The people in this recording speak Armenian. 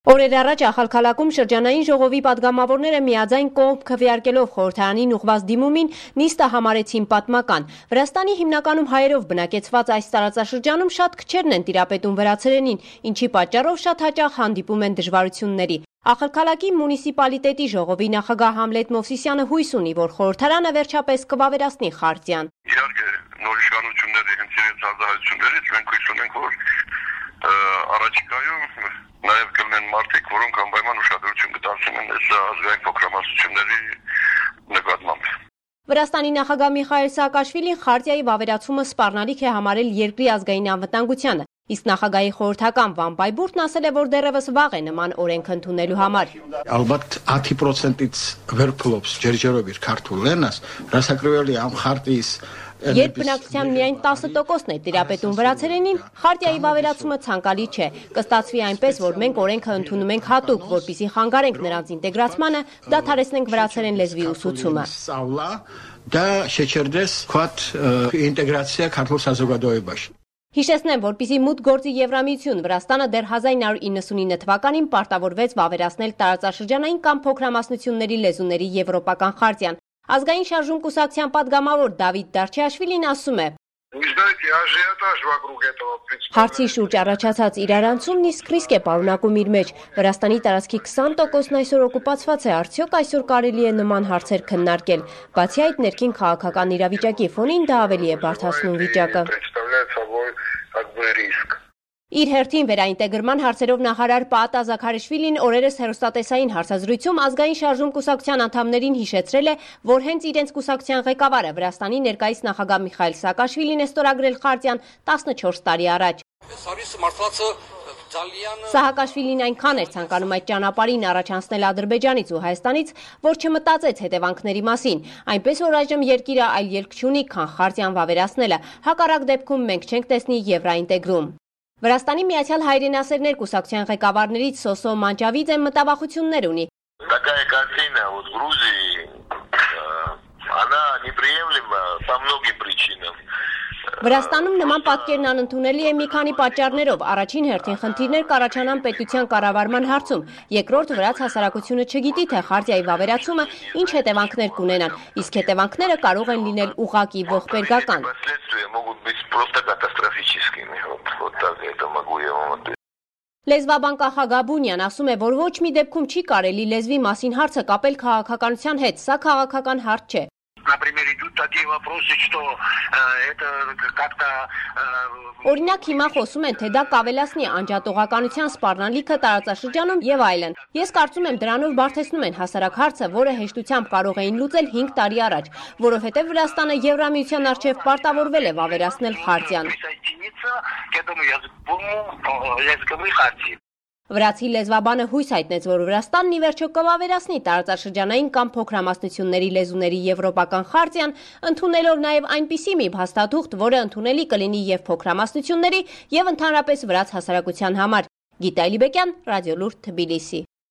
Օրեր առաջ Ախալքալաքում շրջանային ժողովի պատգամավորները միաձայն կողմ քվեարկելով խորհրդարանին ուղղված դիմումին նիստը համարեցին պատմական։ Վրաստանի հիմնականում հայերով բնակեցված այս տարածաշրջանում շատ քչերն են տիրապետում վրացերենին, ինչի պատճառով շատ հաճախ հանդիպում են դժվարությունների։ Ախալքալակի մունիցիպալիտետի ժողովի նախագահ Համլետ Մովսիսյանը հույս ունի, որ խորհրդարանը վերջապես կվավերացնի խարտիան։ Իհարկե նոր իշխանությունների հենց իրենց արձագանքություններից մենք հույս ունենք, որ առաջիկայում նաև կլինեն մարդիկ, որոնք անպայման ուշադրություն կդարձնեն այս ազգային փոքրամասնությունների նկատմամբ։ Վրաստանի նախագահ Միխայել Սաակաշվիլին խարտիայի վավերացումը սպառնալիք է համարել երկրի ազգային անվտանգությանը, իսկ նախագահի խորհրդական Վան Բայբուրդն ասել է, որ դեռևս վաղ է նման օրենք ընդունելու համար։ Ալբათ 10%-ից վերփլոփս ջերջերով իր քարտուլենաս, ռասակրովելի ամ խարտիս Երբ բնակչության միայն 10%-ն է տիրապետում վրացերենին, խարտիայի վավերացումը ցանկալի չէ։ Կստացվի այնպես, որ մենք օրենքը ընդունում ենք հատուկ, որպեսզի խանգարենք նրանց ինտեգրացմանը, դադարեցնենք վրացերեն լեզվի ուսուցումը։ Դա շեչերդես քոտ ինտեգրացիա քարտուլ սազոգադոյբաշ։ Հիշեցնեմ, որպեսզի մուտք գործի Եվրամիություն, Վրաստանը դեռ 1999 թվականին պարտավորվեց վավերացնել տարածաշրջանային կամ փոքրամասնությունների լեզուների եվրոպական խարտիան։ Ազգային շարժում կուսակցության պատգամավոր Դավիթ Դարչեաշվիլին ասում է. Հարցի շուրջ առաջացած իրարանցումն իսկ ռիսկ է պարունակում իր մեջ։ Վրաստանի տարածքի 20%-ն այսօր օկուպացված է, արդյոք այսօր կարելի է նման հարցեր քննարկել։ Բացի այդ, ներքին քաղաքական իրավիճակի ֆոնին դա ավելի է բարդացնում վիճակը։ Իր հերթին վերաինտեգրման հարցերով նախարար Պաատա Զաքարիշվիլին օրերս հեռուստատեսային հարցազրույցում ազգային շարժում կուսակցության անդամներին հիշեցրել է, որ հենց իրենց կուսակցության ղեկավարը Վրաստանի ներկայիս նախագահ Միխայել Սաակաշվիլին է ստորագրել խարտիան 14 տարի առաջ։ Սահակաշվիլին այնքան էր ցանկանում այդ ճանապարհին առաջ անցնել Ադրբեջանից ու Հայաստանից, որ չմտածեց հետևանքների մասին, այնպես որ այժմ երկիրը այլ ելք չունի, քան խարտիան վավերացնելը, հակառակ դեպքում մենք չենք տեսնի եվրաինտեգրում։ Վրաստանի Միացյալ Հայրենասերներ կուսակցության ղեկավարներից Սոսո Մանջավիձեն մտավախություններ ունի։ Վրաստանում նման պատկերն անընդունելի է մի քանի պատճառներով։ Առաջին հերթին խնդիրներ կառաջանան պետության կառավարման հարցում։ Երկրորդ, վրաց հասարակությունը չգիտի, թե խարտիայի վավերացումը ինչ հետևանքներ կունենան, իսկ հետևանքները կարող են լինել ուղղակի ողբերգական։ Լեզվաբան Կախա Գաբունյան ասում է, որ ոչ մի դեպքում չի կարելի լեզվի մասին հարցը կապել քաղաքականության հետ, սա քաղաքական հարց չէ։ Օրինակ հիմա խոսում են, թե դա կավելացնի անջատողականության սպառնալիքը տարածաշրջանում եւ այլն։ Ես կարծում եմ դրանով բարդեցնում են հասարակ հարցը, որը հեշտությամբ կարող էին լուծել 5 տարի առաջ, որովհետեւ Վրաստանը Եվրամիության արչեւ պարտավորվել է վավերացնել խարտիան։ Վրացի լեզվաբանը հույս հայտնեց, որ Վրաստանն ի վերջո կվավերացնի տարածաշրջանային կամ փոքրամասնությունների լեզուների եվրոպական խարտիան, ընդունելով նաև այնպիսի մի փաստաթուղթ, որը ընդունելի կլինի եւ փոքրամասնությունների եւ ընդհանրապես վրաց հասարակության համար։ Գիտա Ալիբեկյան, Ռադիոլուրդ, Թբիլիսի։